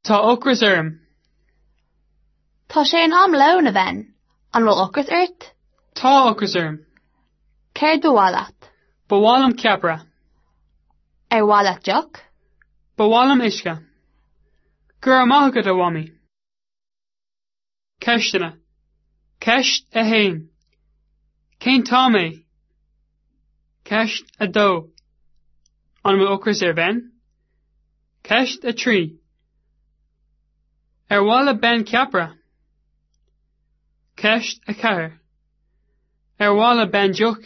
Tá ocras orm. Tá sé in am lóin, a Ben. An bhfuil ocras ort? Tá ocras orm. Céard ba mhaith leat? Ba mhaith liom ceapaire. Ar mhaith leat deoch? Ba mhaith liom uisce. Go raibh maith agat, a Mhamaí. Ceisteanna. Ceist 1. Cén t-am é? Ceist 2. An bhfuil ocras ar Ben? Ceist 3. Ar mhaith le Ben ceapaire? Ceist 4. Ar mhaith le Ben deoch?